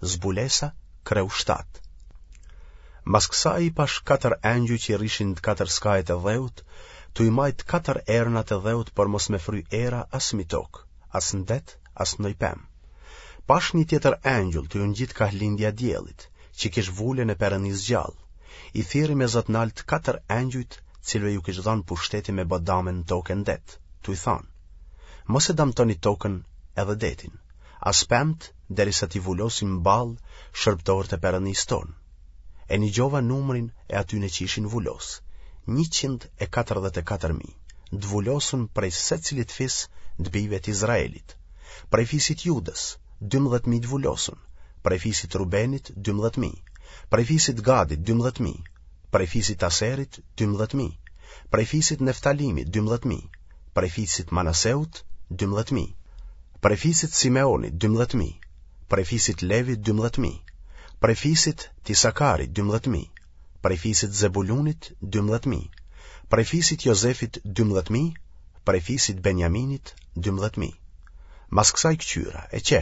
Zbulesa, kreu 7. Mas kësaj i pashë katër engjuj që rrishin në të katër skajet e dheut, tu i majtë katër ernat e dheut për mos me fry era as mi tokë, as në det, as në ndonjë pemë. Pashë një tjetër engjull tu u ngjit kah lindja e diellit, që kish vulën e Perënisë gjallë. I thirri me zë të naltë katër engjujt, cilëve ju kish dhanë pushteti me bë dame në tokë e në det, tu i thanë: Mos e damtoni tokën edhe detin, as pemët derisa t'i vulosim në ballë shërbëtorët e Perëndisë tonë. E nigjova numrin e atyne që ishin vulos, 144.000, të vulosun prej secilit fis të bijve të Izraelit. Prej fisit Judës, 12.000 të vulosun, prej fisit Rubenit, 12.000, prej fisit Gadit, 12.000, prej fisit Aserit, 12.000, prej fisit Neftalimit, 12.000, prej fisit Manaseut, 12.000, prej fisit Simeonit, 12.000, prej fisit Levit, 12.000, prej fisit Tisakarit, 12.000, prej fisit Zebulunit, 12.000, prej fisit Jozefit, 12.000, prej fisit Benjaminit, 12.000. Mas kësaj këqyra, e qe,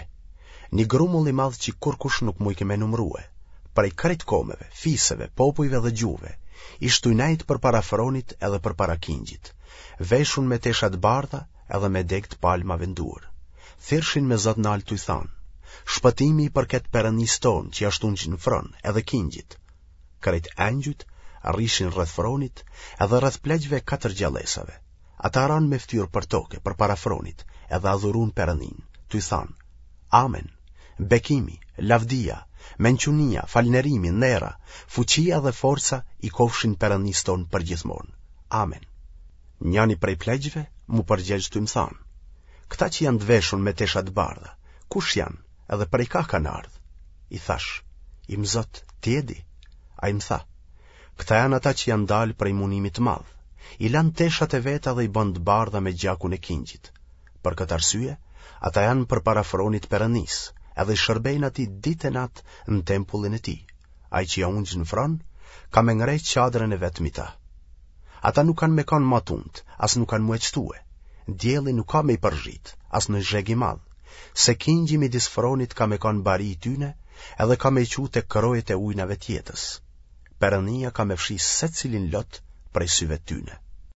një grumull i madh që kurkush nuk mujke me numrue, prej krejt komeve, fiseve, popujve dhe gjuhëve, ish tuj nejt përpara fronit edhe përpara kingjit, veshun me tesha të bardha edhe me degë të palmave në duar. Thirrshin me zë të naltë tuj thanë, Shpëtimi i përket Perëndisë tonë që është ungjë në fron edhe kingjit. Krejt engjujt rrishin rreth fronit edhe rreth pleqve e katër gjallesave. Ata ranë me ftyrë për toke përpara fronit edhe adhuruan Perëndinë, tuj thanë, Amen. Bekimi, lavdia, mençunia, falënderimi, ndera, fuqia dhe forca i kofshin Perëndisë tonë përgjithmonë. Amen. Njani prej pleqve m'u përgjegj tuj më thanë, Këta që janë të veshun me tesha të bardha, kush janë edhe prej kah kanë ardhë? I thashë, Im zot, ti e di. Ai më tha, Këta janë ata që janë dalë prej munimit të madh, i lanë teshat e veta dhe i bënë të bardha me gjakun e kingjit. Për këtë arsye, ata janë përpara fronit Perëndisë, edhe i shërbejnë atij ditë e natë në tempullin e tij. Ai që â ungjë në fron, ka me ngre çadrën e vet mi ta. Ata nuk kanë me kanë ma tuntë, as nuk kanë m'u eqtue. Dielli nuk ka me i përzhit, as ndonjë zheg i madh, se kingji midis fronit ka me kanë bari i tyne, edhe ka me i çu te krojet e ujnave të jetës. Perëndia ka me fshi secilin lot prej syve të tyne.